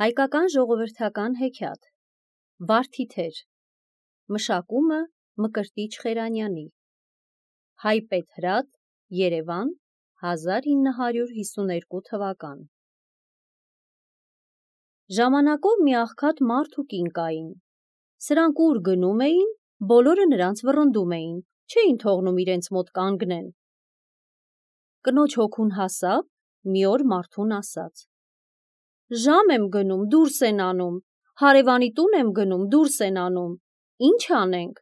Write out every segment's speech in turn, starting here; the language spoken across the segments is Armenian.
Հայկական ժողովրդական հեքիաթ, Վարդիթեր, մշակումը Մկրտիչ Խերանյանի, Հայպետ Հրատ, Երևան, 1952 թվական։ Ժամանակով մի աղքատ մարդ ու կին կային։ Սրանք ուր գնում էին, բոլորը նրանց վռնդում էին, չէին թողնում իրենց մոտ կանգնեն։ Կնոջ հոգուն հասավ, մի օր մարդուն ասաց. «Ժամ եմ գնում, դուրս են անում, հարևանի տուն եմ գնում, դուրս են անում, ինչ անենք,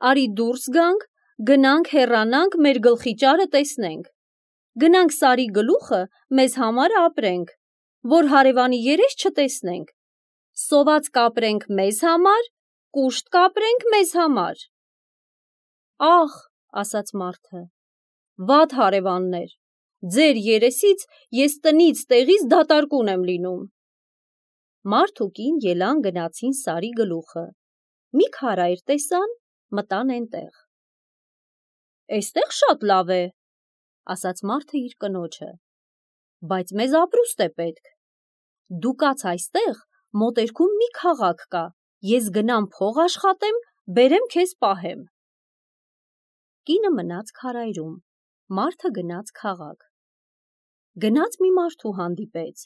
արի դուրս գանք, գնանք հեռանանք, մեր գլխի ճարը տեսնենք, գնանք Սարի գլուխը մեզ համար ապրենք, որ հարևանի երես չտեսնենք, սոված կապրենք մեզ համար, կուշտ կապրենք մեզ համար»։ Ախ, ասաց մարդը, վատ հարևաններ, ձեր երեսից ես տնից տեղից դատարկուն եմ լինում։ Մարդ ու կին ելան գնացին Սարի գլուխը, մի քարայր տեսան, մտան էնտեղ։ «Էստեղ շատ լավ է», ասաց մարդը իր կնոջը, բայց մեզ ապրուստ է պետք։ Դու կաց այստեղ, մոտերքում մի քաղաք կա, ես գնամ փող աշխատեմ, բերեմ քեզ պահեմ։ Կինը մնաց քարայրում, մարդը գնաց քաղաք։ Գնաց մի մարդու հանդիպեց։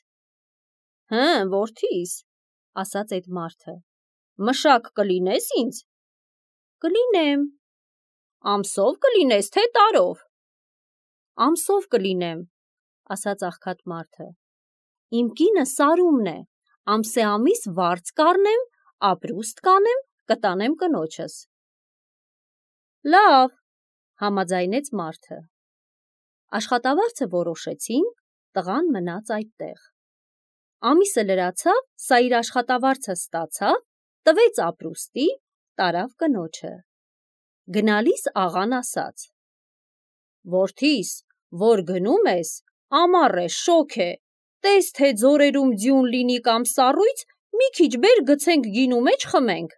«Հը, որդիս», ասաց այդ մարդը, «մշակ կլինես ինձ»։ «Կլինեմ»։ «Ամսով կլինես, թե տարով»։ «Ամսով կլինեմ», ասաց աղքատ մարդը, «իմ կինը Սարումն է, ամսեամիս վարձ կառնեմ, ապրուստ կանեմ, կտանեմ կնոջս»։ «Լավ», համաձայնեց մարդը։ Աշխատավարձը որոշեցին, տղան մնաց այդտեղ։ Ամիսը լրացավ, սա իր աշխատավարձը ստացավ, տվեց ապրուստի, տարավ կնոջը։ Գնալիս աղան ասաց. «Որդիս, որ գնում ես, ամառ է, շոգ է, տես թե ձորերում ձյուն լինի կամ սառույց, մի քիչ բեր գցենք գինու մեջ խմենք,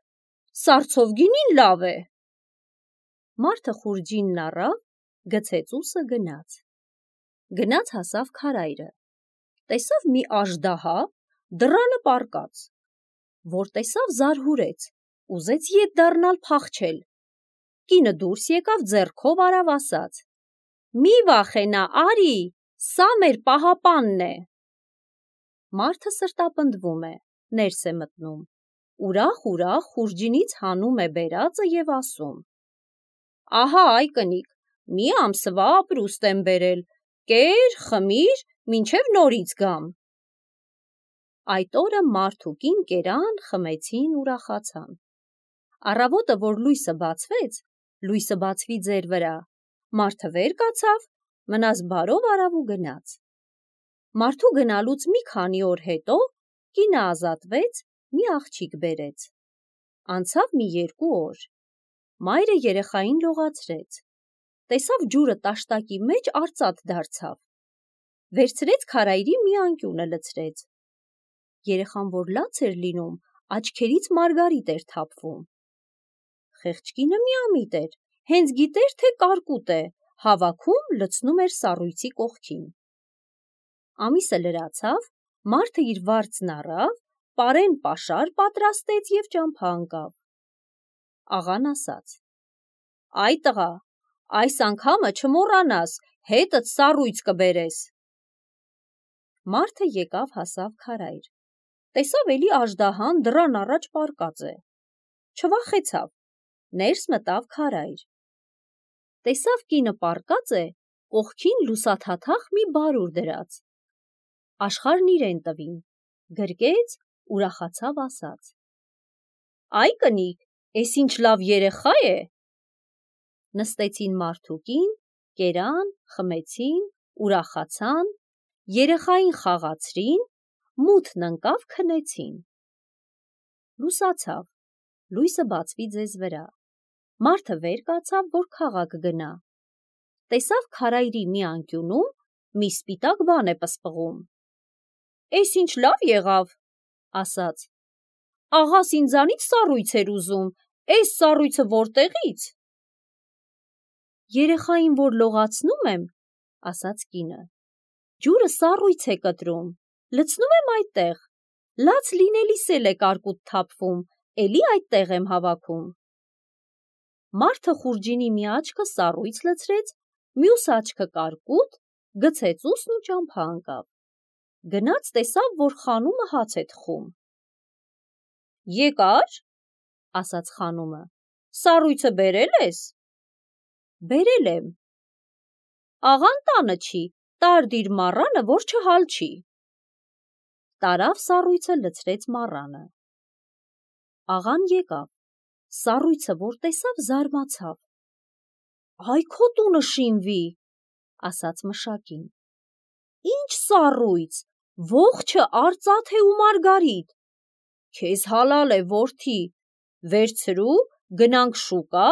սառցով գինին լավ է»։ Մարդը խուրջինն առավ, գցեց ուսը, գնաց հասավ քարայրը, տեսավ մի աժդահա, դռանը պառկած, որ տեսավ զարհուրեց, ուզեց ետ դառնալ փախչել։ Կինը դուրս եկավ, ձեռքով արավ, ասաց. «Մի վախենա, արի, սա մեր պահապանն է»։ Մարդը սրտապնդվում է, ներս է մտնում, ուրախ խուրջինից հանում է բերածը եւ ասում. «Ահա այ կնիկ, մի ամսվա ապրուստ եմ բերել, կեր, խմիր, մինչև նորից գամ»։ Այդ օրը մարդ ու կին կերան, խմեցին, ուրախացան։ Առավոտը, որ լույսը բացվի ձեր վրա, մարդը վեր կացավ, մնաս բարով արավ ու գնաց։ Մարդու գնալուց մի քանի օր հետո կինը ազատվեց, մի աղջիկ բերեց։ Անցավ մի 2 օր, մայրը երեխային լողացրեց, տեսավ ջուրը տաշտակի մեջ արծաթ դարձավ, վերցրեց քարայրի մի անկյունը լցրեց։ Երեխան որ լաց էր լինում, աչքերից մարգարիտ էր թափվում։ Խեղճ կինը միամիտ էր, հենց գիտեր, թե կարկուտ է, հավաքում, լցնում էր սառույցի կողքին։ Ամիսը լրացավ, մարդը իր վարձն առավ, պարեն պաշար պատրաստեց եւ ճամփա ընկավ։ Աղան ասաց. «Այ տղա, այս անգամը չմոռանաս, հետդ սառույց կբերես»։ Մարդը եկավ հասավ քարայր, տեսավ էլի աժդահան դռան առաջ պառկած է, չվախեցավ, ներս մտավ քարայր, տեսավ կինը պառկած է, կողքին լուսաթաթախ մի բարուր դրած, աշխարհն իրեն տվին, գրկեց, ուրախացավ, ասաց. «Այ կնիկ, էս ինչ լավ երեխա է»։ Նստեցին մարդ ու կին, կերան, խմեցին, ուրախացան, երեխային խաղացրին, մութն ընկավ, քնեցին։ Լուսացավ, լույսը բացվի ձեզ վրա, մարդը վեր կացավ, որ քաղաք գնա, տեսավ քարայրի մի անկյունում մի սպիտակ բան է պսպղում։ «Էս ինչ լավ եղավ», ասաց, «աղաս ինձանից սառույց էր ուզում, էս սառույցը որտեղի՞ց»։ «Երեխային որ լողացնում եմ», ասաց կինը, «ջուրը սառույց է կտրում, լցնում եմ այդտեղ, լաց լինելիս էլ է կարկուտ թափվում, էլի այդտեղ եմ հավաքում։ Մարդը խուրջինի մի աչքը սառույց լցրեց, մյուս աչքը կարկուտ, գցեց ուսն ու ճամփա ընկավ։ Գնաց տեսավ, որ խանումը հաց է թխում։ Եկա՞ր, ասաց խանումը, սառույցը բերել ես։ Բերել եմ։ Աղան տանը չի, տար դիր մառանը, որ չհալչի։ Տարավ սառույցը լցրեց մառանը։ Աղան եկավ, սառույցը որ տեսավ, զարմացավ։ Այ քո տունը շինվի, ասաց մշակին։ Ինչ սառույց, ողջը արծաթե ու մարգարիտ։ Քեզ հալալ է, որդի, վերցրու, գնանք շուկա,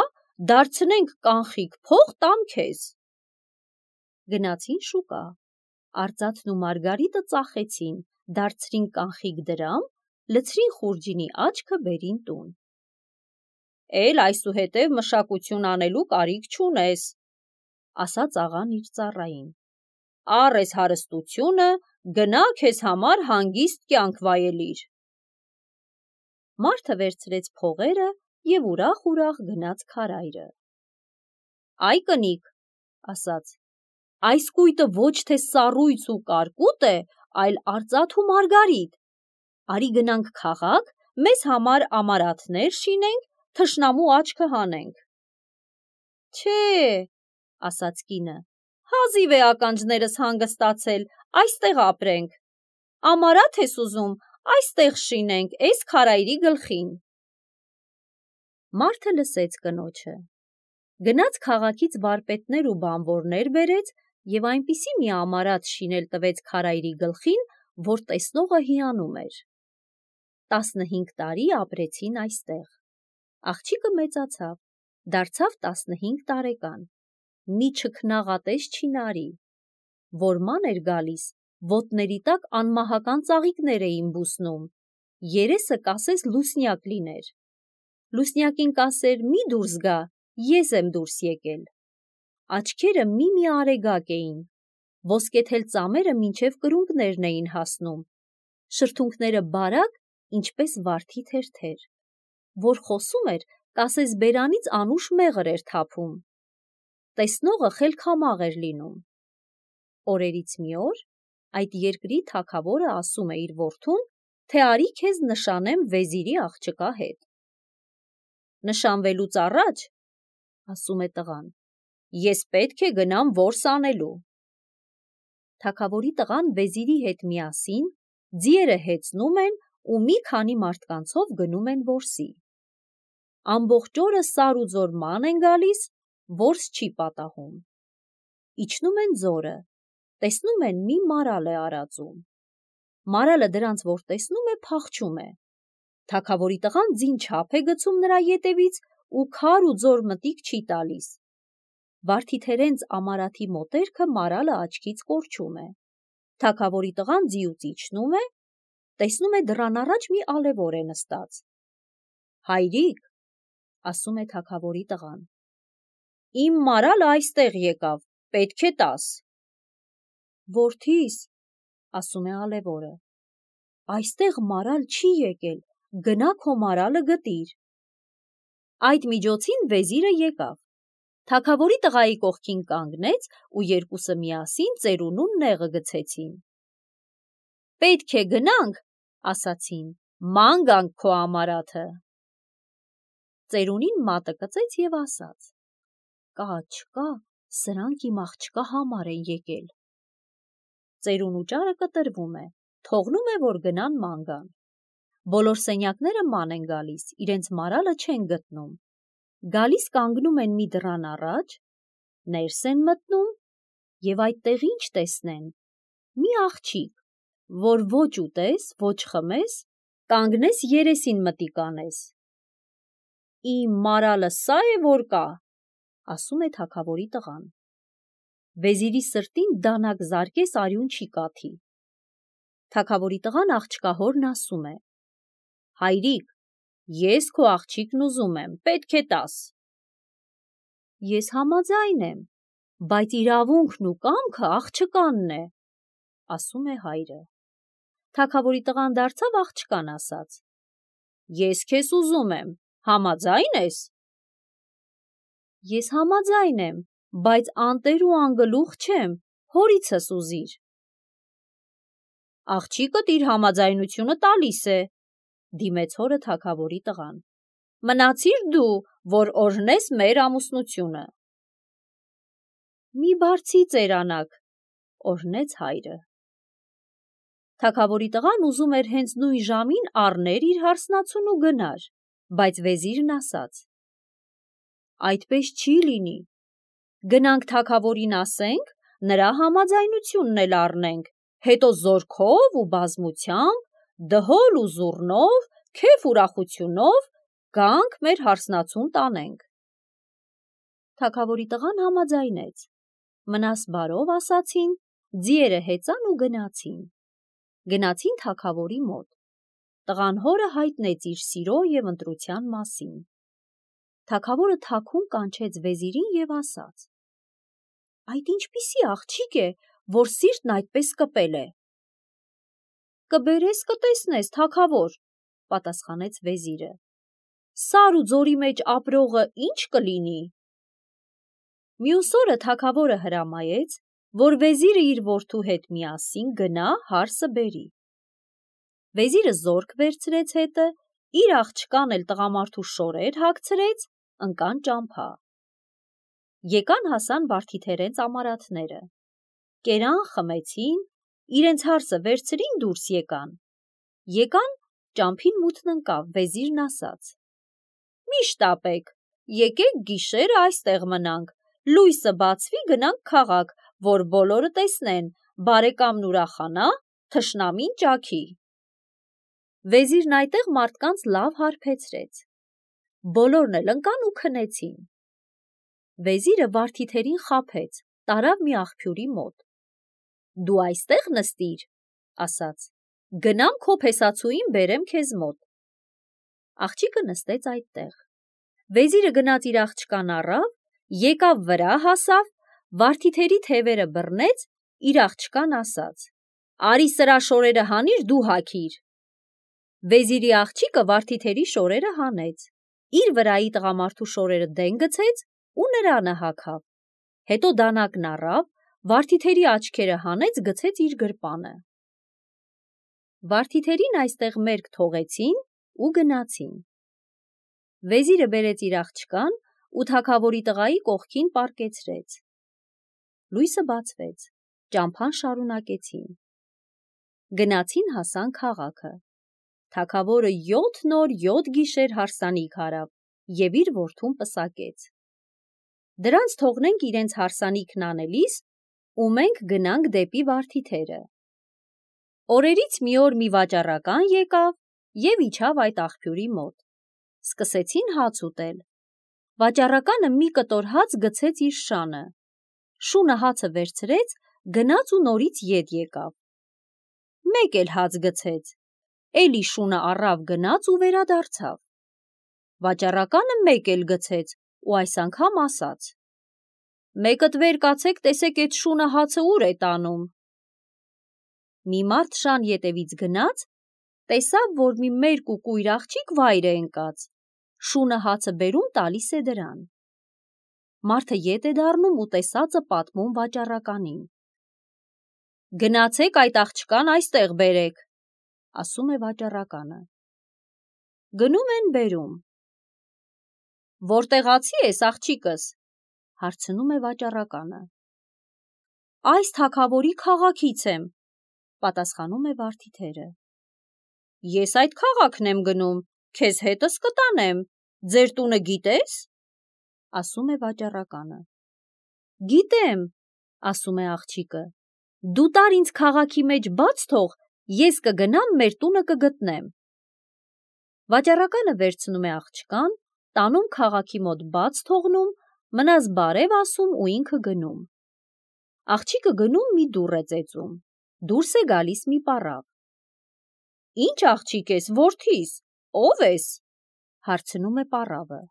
դարձնենք կանխիկ փող տամ քեզ։ Գնացին շուկա, արծաթն ու մարգարիտը ծախեցին, դարձրին կանխիկ դրամ, լցրին խուրջինի աչքը, բերին տուն։ Էլ այսուհետև մշակություն անելու կարիք չունես, ասաց աղան իր ծառային։ Առ ես հարստությունը, գնա քեզ համար հանգիստ կյանք վայելիր։ Մարդը վերցրեց փողերը և ուրախ գնաց քարայրը։ Այ կնիկ, ասաց, այս կույտը ոչ թե սառույց ու կարկուտ է, այլ արծաթ ու մարգարիտ։ Արի գնանք քաղաք, մեզ համար ամարաթներ շինենք, թշնամու աչքը հանենք։ Չէ, ասաց կինը, հազիվ է ականջներս հանգստացել, այստեղ ապրենք։ Ամարաթ ես ուզում, այստեղ շինենք, էս քարայրի գլխին։ Մարդը լսեց կնոջը, գնաց քաղաքից վարպետներ ու բանվորներ բերեց և այնպիսի մի ամարաթ շինել տվեց քարայրի գլխին, որ տեսնողը հիանում էր։ 15 տարի ապրեցին այստեղ։ Աղջիկը մեծացավ, դարձավ 15 տարեկան։ Մի չքնաղատես չինարի, որ ման էր գալիս, ոտների տակ անմահական ծաղիկներ էին բուսնում, երեսը կասես լուսնյակ լիներ։ Լուսնյակին կասեր՝ մի դուրս գա, ես եմ դուրս եկել։ Աչքերը մի արեգակ էին, ոսկեթել ծամերը մինչև կրունկներն էին հասնում, շրթունքները բարակ, ինչպես վարդի թերթեր, որ խոսում էր, կասես բերանից անուշ մեղր էր թափում։ Տեսնողը խելքամաղ էր լինում։ Օրերից մի օր այդ երկրի թագավորը ասում է իր որդուն, թե արի քեզ նշանեմ վեզիրի աղջկա հետ։ Նշանվելուց առաջ, ասում է տղան, ես պետք է գնամ որս անելու։ Թագավորի տղան վեզիրի հետ միասին ձիերը հեծնում են ու մի քանի մարդկանցով գնում են որսի։ Ամբողջ օրը սար ու ձոր ման են գալիս, որս չի պատահում։ Իջնում են ձորը, տեսնում են մի մարալ է արածում։ Մարալը դրանց որ տեսնում է, փախչում է։ Թագավորի տղան ձին չափ է գցում նրա ետևից ու քար ու ձոր մտիկ չի տալիս։ Վարդիթերենց ամարաթի մոտերքը մարալը աչքից կորչում է։ Թագավորի տղան ձիուց իջնում է, տեսնում է դռան առաջ մի ալևոր է նստած։ Հայրիկ, ասում է թագավորի տղան, իմ մարալը այստեղ եկավ, պետք է տաս։ Որդիս, ասում է ալևորը, այստեղ մարալ չի եկել, գնա քո մարալը գտիր։ Այդ միջոցին վեզիրը եկավ, թագավորի տղայի կողքին կանգնեց ու երկուսը միասին ծերունուն նեղը գցեցին։ Պետք է գնանք, ասացին, ման գանք քո ամարաթը։ Ծերունին մատը կծեց և ասաց. կա չկա, սրանք իմ աղջկա համար են եկել։ Ծերունու ճարը կտրվում է, թողնում է, որ գնան ման գան։ Բոլոր սենյակները ման են գալիս, իրենց մարալը չեն գտնում։ Գալիս կանգնում են մի դռան առաջ, ներս են մտնում և այդտեղ ինչ տեսնեն։ Մի աղջիկ, որ ոչ ուտես, ոչ խմես, կանգնես երեսին մտիկ անես։ Իմ մարալը սա է, որ կա, ասում է թագավորի տղան։ Վեզիրի սրտին դանակ զարկես արյուն չի կաթի։ Թագավորի տղան աղջկահորն ասում է. հայրիկ, ես քո աղջիկն ուզում եմ, պետք է տաս։ Ես համաձայն եմ, բայց իրավունքն ու կամքը աղջկանն է, ասում է հայրը։ Թագավորի տղան դարձավ աղջկան ասաց. Ես քեզ ուզում եմ, համաձայն ես։ Ես համաձայն եմ, բայց անտեր ու անգլուխ չեմ, հորիցս ուզիր։ Աղջիկդ իր համաձայնությունը տալիս է, դիմեց հորը թագավորի տղան։ Մնացիր դու, որ օրհնես մեր ամուսնությունը։ Մի բարձի ծերանակ, օրհնեց հայրը։ Թագավորի տղան ուզում էր հենց նույն ժամին առներ իր հարսնացուն ու գնար, բայց վեզիրն ասաց. Այդպես չի լինի։ Գնանք թագավորին ասենք, նրա համաձայնությունն էլ առնենք, հետո զորքով ու բազմությամբ, դհոլ ու զուռնով, քեֆ ուրախությունով գանք մեր հարսնացուն տանենք։ Թագավորի տղան համաձայնեց։ Մնաս բարով ասացին, ձիերը հեծան ու գնացին։ Գնացին թագավորի մոտ։ Տղան հորը հայտնեց իր սիրո և ընտրության մասին։ Թագավորը թաքուն կանչեց վեզիրին և ասաց. Այդ ինչպիսի աղջիկ է, որ սիրտն այդպես կպել է։ Կբերես կտեսնես, թագավոր, պատասխանեց վեզիրը։ Սար ու ձորի մեջ ապրողը ինչ կլինի։ Մյուս օրը թագավորը հրամայեց, որ վեզիրը իր որդու հետ միասին գնա հարսը բերի։ Վեզիրը զորք վերցրեց հետը, իր աղջկան էլ տղամարդու շորեր հագցրեց, ընկան ճամփա։ Եկան հասան վարդիթերեն ծամարաթները։ Կերան, խմեցին, իրենց հարսը վերցրին, դուրս եկան։ Եկան, ճամփին մութն ընկավ, վեզիրն ասաց. Մի շտապեք, եկեք գիշերը այստեղ մնանք, լույսը բացվի գնանք քաղաք, որ բոլորը տեսնեն, բարեկամն ուրախանա, թշնամին ճաքի։ Վեզիրն այդտեղ մարդկանց լավ հարբեցրեց։ Բոլորն էլ ընկան ու քնեցին։ Վեզիրը վարդիթերին խաբեց, տարավ մի աղբյուրի մոտ։ Դու այստեղ նստիր, ասաց, գնամ քո փեսացուին բերեմ քեզ մոտ։ Աղջիկը նստեց այդտեղ։ Վեզիրը գնաց իր աղջկան առավ, եկավ վրա հասավ, վարդիթերի թևերը բռնեց, իր աղջկան ասաց. Արի սրա շորերը հանիր, դու հագիր։ Վեզիրի աղջիկը վարդիթերի շորերը հանեց, իր վրայի տղամարդու շորերը դեն գցեց ու նրանը հագավ։ Հետո դանակն առավ, վարդիթերի աչքերը հանեց, գցեց իր գրպանը։ Վարդիթերին այստեղ մերկ թողեցին ու գնացին։ Վեզիրը բերեց իր աղջկան ու թագավորի տղայի կողքին պառկեցրեց։ Լույսը բացվեց, ճամփան շարունակեցին։ Գնացին հասան քաղաքը։ Թագավորը 7 օր 7 գիշեր հարսանիք արավ և իր որդուն պսակեց։ Դրանց թողնենք իրենց հարսանիքն անելիս ու մենք գնանք դեպի վարդիթերը։ Օրերից մի օր մի վաճառական եկավ և իջավ այդ աղբյուրի մոտ։ Սկսեցին հաց ուտել։ Վաճառականը մի կտոր հաց գցեց իր շանը։ Շունը հացը վերցրեց, գնաց ու նորից ետ եկավ։ Մեկ էլ հաց գցեց, էլի շունը առավ գնաց ու վերադարձավ։ Վաճառականը մեկ էլ գցեց ու այս անգամ ասաց. Մեկդ վեր կացեք, տեսեք էդ շունը հացը ուր է տանում։ Մի մարդ շան ետևից գնաց, տեսավ, որ մի մերկ ու կույր աղջիկ վայր է ընկած, շունը հացը բերում տալիս է դրան։ Մարդը ետ է դառնում ու տեսածը պատմում վաճառականին։ Գնացեք այդ աղջկան այստեղ բերեք, ասում է վաճառականը։ Գնում են բերում։ Որտեղացի ես, աղջիկս, հարցնում է վաճառականը։ Այս թագավորի քաղաքից եմ, պատասխանում է վարդիթերը։ Ես այդ քաղաքն եմ գնում, քեզ հետս կտանեմ, ձեր տունը գիտես, ասում է վաճառականը։ Գիտեմ, ասում է աղջիկը, դու տար ինձ քաղաքի մեջ բաց թող, ես կգնամ մեր տունը կգտնեմ։ Վաճառականը վերցնում է աղջկան, տանում քաղաքի մոտ բաց թողնում, մնաս բարև ասում ու ինքը գնում։ Աղջիկը գնում մի դուռ է ծեծում, դուրս է գալիս մի պառավ։ Ինչ աղջիկ ես, որդիս, ով ես, հարցնում է պառավը։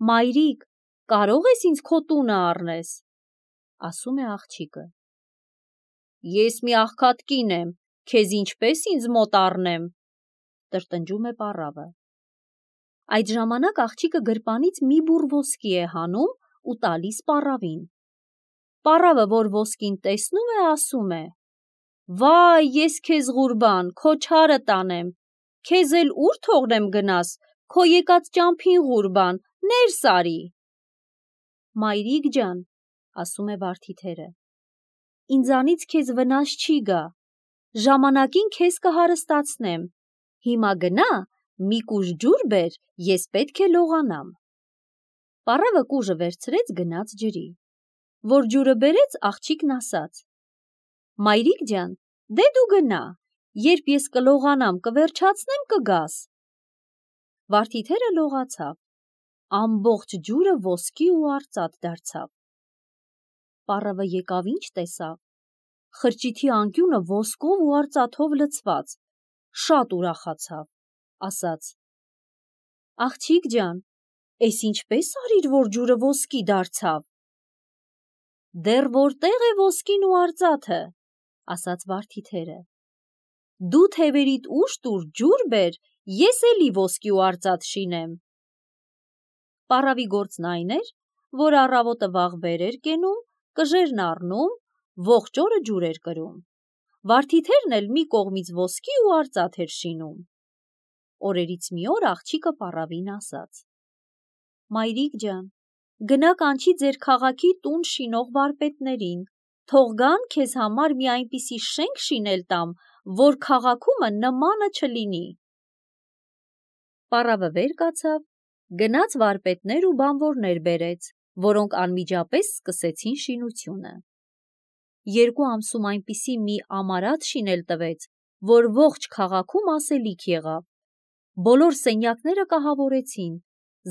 Մայրիկ, կարող ես ինձ քո տունը առնես, ասում է աղջիկը։ Ես մի աղքատ կին եմ, քեզ ինչպես ինձ մոտ առնեմ, տրտնջում է պառավը։ Այդ ժամանակ աղջիկը գրպանից մի բուռ ոսկի է հանում ու տալիս պառավին։ Պառավը, որ ոսկին տեսնում է, ասում է. «Վայ, ես քեզ ղուրբան, քո չարը տանեմ, քեզ էլ ուր թողնեմ գնաս, քո եկած ճամփին ղուրբան, ներս արի»։ Մայրիկ ջան, ասում է վարդիթերը, ինձանից քեզ վնաս չի գա, ժամանակին քեզ կհարստացնեմ, հիմա գնա, մի կուժ ջուր բեր, ես պետք է լողանամ։ Պառավը կուժը վերցրեց, գնաց ջրի։ Որ ջուրը բերեց, աղջիկն ասաց. «Մայրիկ ջան, դե դու գնա, երբ ես կլողանամ, կվերջացնեմ, կգաս»։ Վարդիթերը լողացավ, ամբողջ ջուրը ոսկի ու արծաթ դարձավ։ Պառավը եկավ ինչ տեսավ, խրճիթի անկյունը ոսկով ու արծաթով լցված, շատ ուրախացավ, ասաց. «Աղջիկ ջան, էս ինչպես արիր, որ ջուրը ոսկի դարձավ»։ «Դեռ որտեղ է ոսկին ու արծաթը», ասաց վարդիթերը։ «Դու թևերիդ ուժ տուր, ջուր բեր, ես էլի ոսկի ու արծաթ շինեմ»։ Պառավի գործն այն էր, որ առավոտը վաղ վեր էր կենում, կժերն առնում, ողջ օրը ջուր էր կրում։ Վարդիթերն էլ մի կողմից ոսկի ու արծաթ էր շինում։ Օրերից մի օր աղջիկը պառավին ասաց. «Մայրիկ ջան, գնա կանչի ձեր քաղաքի տուն շինող վարպետներին, թող գան քեզ համար մի այնպիսի շենք շինել տամ, որ քաղաքումը նմանը չլինի»։ Պառավը վեր կացավ, գնաց վարպետներ ու բանվորներ բերեց, որոնք անմիջապես սկսեցին շինությունը։ 2 ամսում այնպիսի մի ամարատ շինել տվեց, որ ողջ քաղաքում ասելիք եղավ։ Բոլոր սենյակները կահավորեցին,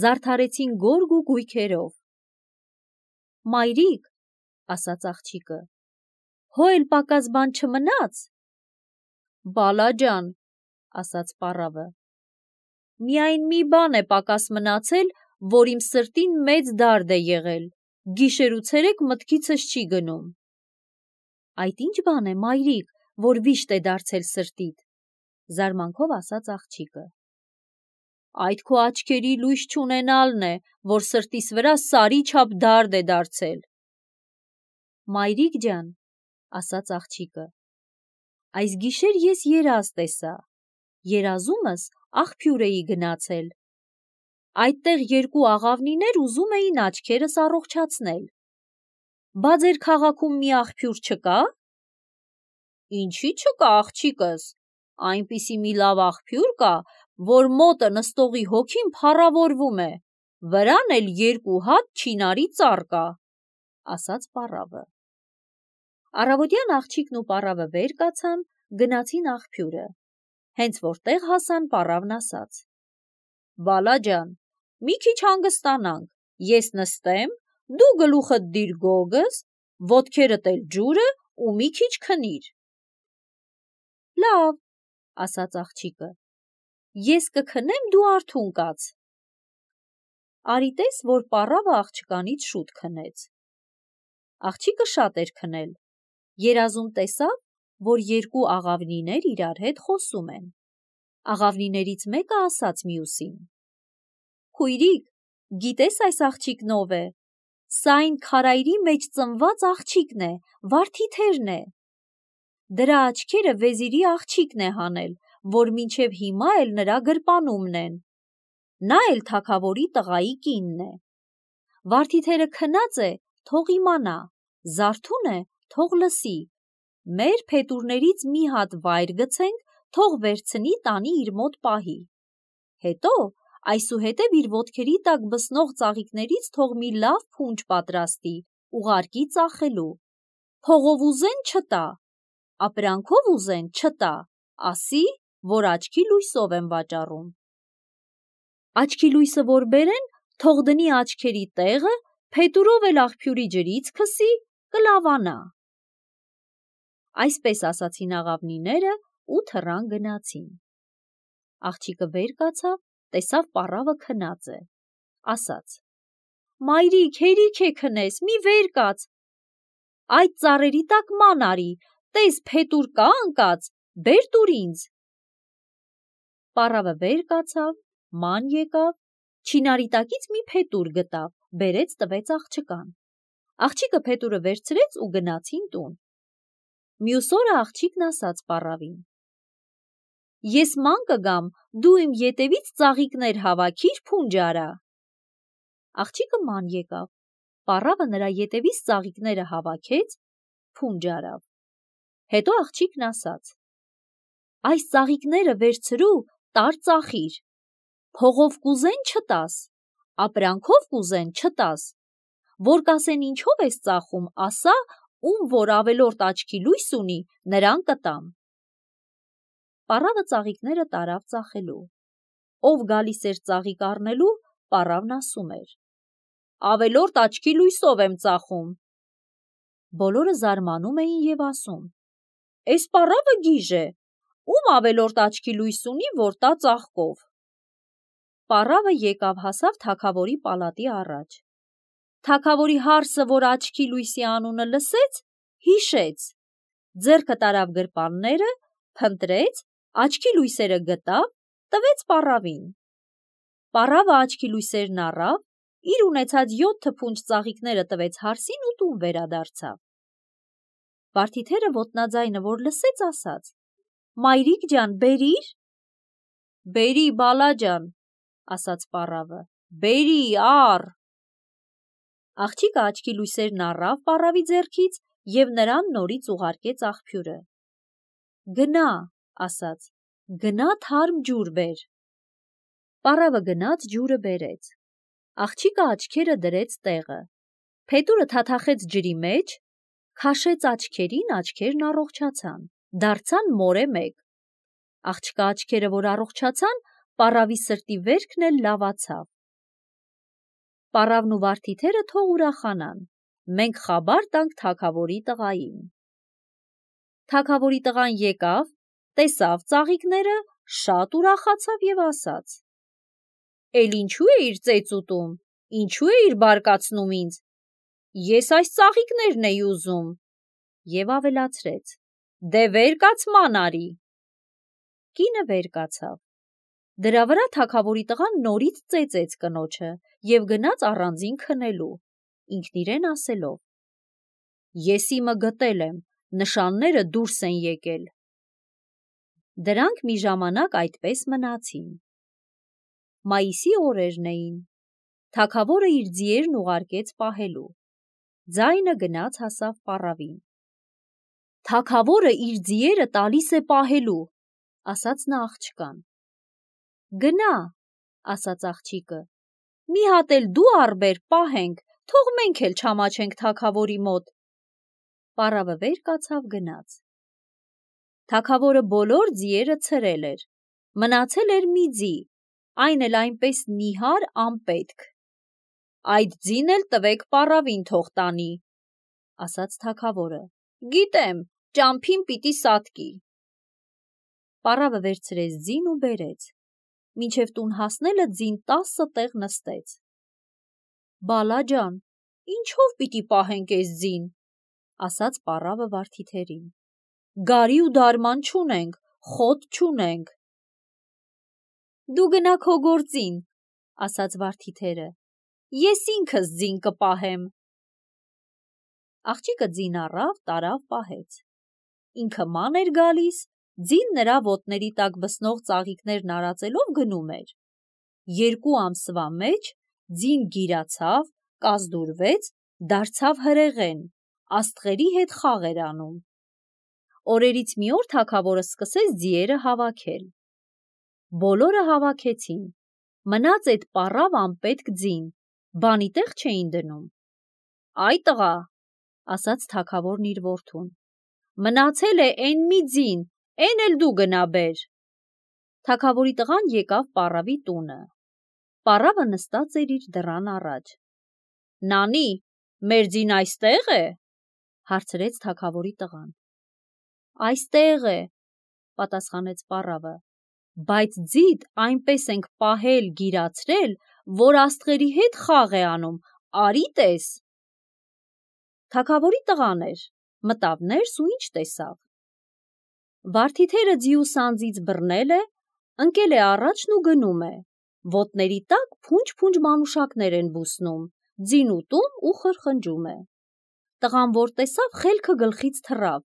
զարդարեցին գորգ ու գույքերով։ «Մայրիկ», ասաց աղջիկը, «հո էլ պակաս բան չմնաց»։ «Բալա ջան», ասաց պառավը, «միայն մի բան է պակաս մնացել, որ իմ սրտին մեծ դարդ է եղել, գիշեր ու ցերեկ մտքիցս չի գնում»։ «Այդ ինչ բան է, մայրիկ, որ վիշտ է դարձել սրտիդ», զարմանքով ասաց աղջիկը։ «Այդ քո աչքերի լույս չունենալն է, որ սրտիս վրա սարի չափ դարդ է դարձել»։ «Մայրիկ ջան», ասաց աղջիկը, «այս գիշեր ես երազ տեսա, երազումս աղբյուր էի գնացել։ Այդտեղ 2 աղավնիներ ուզում էին աչքերս առողջացնել։ Բա ձեր քաղաքում մի աղբյուր չկա»։ «Ինչի չկա, աղջիկս, այնպիսի մի լավ աղբյուր կա, որ մոտը նստողի հոգին փառավորվում է, վրան էլ 2 հատ չինարի ծառ կա», ասաց պառավը։ Առավոտյան աղջիկն ու պառավը վեր կացան, գնացին աղբյուրը։ Հենց որտեղ հասան, պառավն ասաց. «Բալա ջան, մի քիչ հանգստանանք, ես նստեմ, դու գլուխդ դիր գոգս, ոտքերդ էլ ջուրը ու մի քիչ քնիր»։ «Լավ», ասաց աղջիկը, «ես կքնեմ, դու արթուն կաց»։ Արի տես, որ պառավը աղջկանից շուտ քնեց։ Աղջիկը շատ էր քնել։ Երազում տեսավ, որ 2 աղավնիներ իրար հետ խոսում են։ Աղավնիներից մեկը ասաց մյուսին. «Քույրիկ, գիտես այս աղջիկն ով է։ Սա այն քարայրի մեջ ծնված աղջիկն է, վարդիթերն է։ Դրա աչքերը վեզիրի աղջիկն է հանել, որ մինչև հիմա էլ նրա գրպանումն են։ Նա էլ թագավորի տղայի կինն է։ Վարդիթերը քնած է, թող իմանա, զարթուն է, թող լսի։ Մեր փետուրներից մի հատ վայր գցենք, թող վերցնի, տանի իր մոտ պահի։ Հետո այսուհետև իր ոտքերի տակ բսնող ծաղիկներից թող մի լավ փունջ պատրաստի, ուղարկի ծախելու։ Փողով ուզեն չտա, ապրանքով ուզեն չտա, ասի, որ աչքի լույսով եմ վաճառում։ Աչքի լույսը որ բերեն, թող դնի աչքերի տեղը, փետուրով էլ աղբյուրի ջրից քսի, կլավանա»։ Այսպես ասացին աղավնիները ու թռան գնացին։ Աղջիկը վեր կացավ, տեսավ պառավը քնած է, ասաց. «Մայրիկ, հերիք է քնես, մի վեր կաց, այդ ծառերի տակ ման արի, տես փետուր կա անկած, բեր տուր ինձ։ Պառավը վեր կացավ, ման եկավ, չինարի տակից մի փետուր գտավ, բերեց տվեց աղջկան։ Աղջիկը փետուրը վերցրեց ու գնացին տուն։ Մյուս օրը աղջիկն ասաց պառավին. Ես ման կգամ, դու իմ ետևից ծաղիկներ հավաքիր, փունջ արա։ Աղջիկը ման եկավ, պառավը նրա ետևից ծաղիկները հավաքեց, փունջ արավ։ Հետո աղջիկն ասաց. այս ծաղիկները վերցրու, տար ծախիր, փողով կուզեն չտաս, ապրանքով կուզեն չտաս, որ կասեն ինչով ես ծախում, ասա, ում որ ավելորդ աչքի լույս ունի, նրան կտամ։ Պառավը ծաղիկները տարավ ծախելու։ Ով գալիս էր ծաղիկ առնելու, պառավն ասում էր. ավելորդ աչքի լույսով եմ ծախում։ Բոլորը զարմանում էին և ասում. Էս պառավը գիժ է, ում ավելորդ աչքի լույս ունի, որ տա ծաղկով։ Պառավը եկավ հասավ թագավորի պալատի առաջ։ Թագավորի հարսը, որ աչքի լույսի անունը լսեց, հիշեց, ձեռքը տարավ գրպանները, փնտրեց, աչքի լույսերը գտավ, տվեց պառավին։ Պառավը աչքի լույսերն առավ, իր ունեցած 7 փունջ ծաղիկները տվեց հարսին ու տուն վերադարձավ։ Վարդիթերը ոտնաձայնը, որ լսեց, ասաց. Մայրիկ ջան, բերիր։ Բերի, բալա ջան, ասաց պառավը, բերի, առ։ Աղջիկը աչքի լույսերն առավ պառավի ձեռքից և նրան նորից ուղարկեց աղբյուրը։ Գնա, ասաց, գնա թարմ ջուր բեր։ Պառավը գնաց ջուրը բերեց։ Աղջիկը աչքերը դրեց տեղը։ Փետուրը թաթախեց ջրի մեջ, քաշեց աչքերին, աչքերն առողջացան, դարձան մորե մեկ։ Աղջկա աչքերը, որ առողջացան, պառավի սրտի վերքն էլ լավացավ։ Պառավն ու վարդիթերը թող ուրախանան, մենք խաբար տանք թագավորի տղային։ Թագավորի տղան եկավ, տեսավ ծաղիկները, շատ ուրախացավ և ասաց. Էլ ինչու էիր ծեծ ուտում, ինչու էիր բարկացնում ինձ, ես այս ծաղիկներն էի ուզում։ Եվ ավելացրեց. դե վեր կաց ման արի։ Կինը վեր կացավ։ Դրա վրա թագավորի տղան նորից ծեծեց կնոջը և գնաց առանձին քնելու, ինքն իրեն ասելով. ես իմը գտել եմ, նշանները դուրս են եկել։ Դրանք մի ժամանակ այդպես մնացին։ Մայիսի օրերն էին։ Թագավորը իր ձիերն ուղարկեց պահելու։ Ձայնը գնաց հասավ պառավին։ Թագավորը իր ձիերը տալիս է պահելու, ասաց նա աղջկան։ Գնա, ասաց աղջիկը, մի հատ էլ դու առբեր պահենք, թող մենք էլ չամաչենք թագավորի մոտ։ Պառավը վեր կացավ գնաց։ Թագավորը բոլոր ձիերը ցրել էր, մնացել էր մի ձի, այն էլ այնպես նիհար անպետք։ Այդ ձին էլ տվեք պառավին թող տանի, ասաց թագավորը, գիտեմ, ճամփին պիտի սատկի։ Պառավը վերցրեց ձին ու բերեց, մինչև տուն հասնելը ձին 10 տեղ նստեց։ Բալա ջան, ինչով պիտի պահենք էս ձին, ասաց պառավը վարդիթերին, գարի ու դարման չունենք, խոտ չունենք։ Դու գնա քո գործին, ասաց վարդիթերը, ես ինքս ձին կպահեմ։ Աղջիկը ձին առավ, տարավ պահեց։ Ինքը ման էր գալիս, ձին նրա ոտների տակ բսնող ծաղիկներն արածելով գնում էր։ 2 ամսվա մեջ ձին գիրացավ, կազդուրվեց, դարձավ հրեղեն, աստղերի հետ խաղ էր անում։ Օրերից մի օր թագավորը սկսեց ձիերը հավաքել։ Բոլորը հավաքեցին, մնաց այդ պառավ անպետք ձին, բանի տեղ չէին դնում։ Այ տղա, ասաց թագավորն իր որդուն, մնացել է էն մի ձին, էն էլ դու գնա բեր։ Թագավորի տղան եկավ պառավի տունը։ Պառավը նստած էր իր դռան առաջ։ Նանի, մեր ձին այստեղ է, հարցրեց թագավորի տղան։ Այստեղ է, պատասխանեց պառավը, բայց ձիդ այնպես ենք պահել, գիրացրել, որ աստղերի հետ խաղ է անում, արի տես։ Թագավորի տղան էր, մտավ ներս ու ինչ տեսավ։ Վարդիթերը ձիու սանձից բռնել է, ընկել է առաջն ու գնում է, ոտների տակ փունջ-փունջ մանուշակներ են բուսնում, ձին ուտում ու խրխնջում է։ Տղան, որ տեսավ, խելքը գլխից թռավ,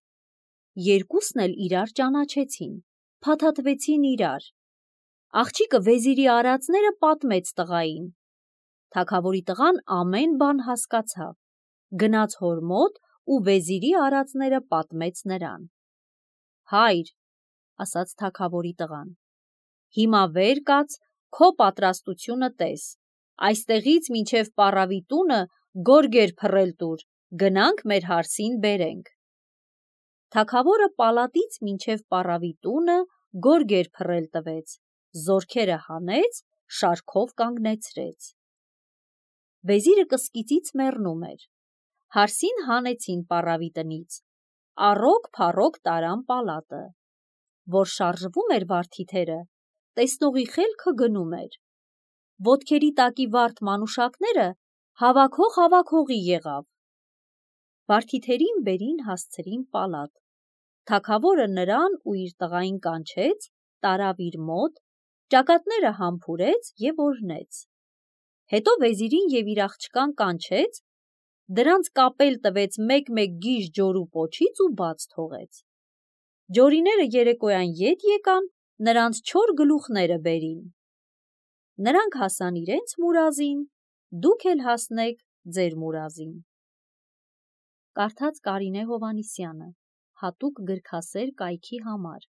երկուսն էլ իրար ճանաչեցին, փաթաթվեցին իրար։ Աղջիկը վեզիրի արածները պատմեց տղային։ Թագավորի տղան ամեն բան հասկացավ, գնաց հոր մոտ ու վեզիրի արածները պատմեց նրան։ Հայր, ասաց թագավորի տղան, հիմա վեր կաց, քո պատրաստությունը տես, այստեղից մինչև պառավի տունը գորգեր փռել տուր, գնանք մեր հարսին բերենք։ Թագավորը պալատից մինչև պառավի տունը գորգեր փռել տվեց, զորքերը հանեց, շարքով կանգնեցրեց։ Վեզիրը կսկիծից մեռնում էր, հարսին հանեցին պառավի տնից, առոք-փառոք տարան պալատը, որ շարժվում էր վարդիթերը, տեսնողի խելքը գնում էր, ոտքերի տակի վարդ մանուշակները հավաքողի եղավ։ Վարդիթերին բերին հասցրին պալատ, թագավորը նրան ու իր տղային կանչեց, տարավ իր մոտ, ճակատները համբուրեց և օրհնեց։ Հետո վեզիրին և իր աղջկան կանչեց, դրանց կապել տվեց մեկ-մեկ գիժ ջորու պոչից ու բաց թողեց։ Ջորիները երեկոյան ետ եկան, նրանց չոր գլուխները բերին։ Նրանք հասան իրենց մուրազին, դուք էլ հասնեք ձեր մուրազին։ Կարդաց Կարինե Հովհաննիսյանը, հատուկ գրքասեր կայքի համար։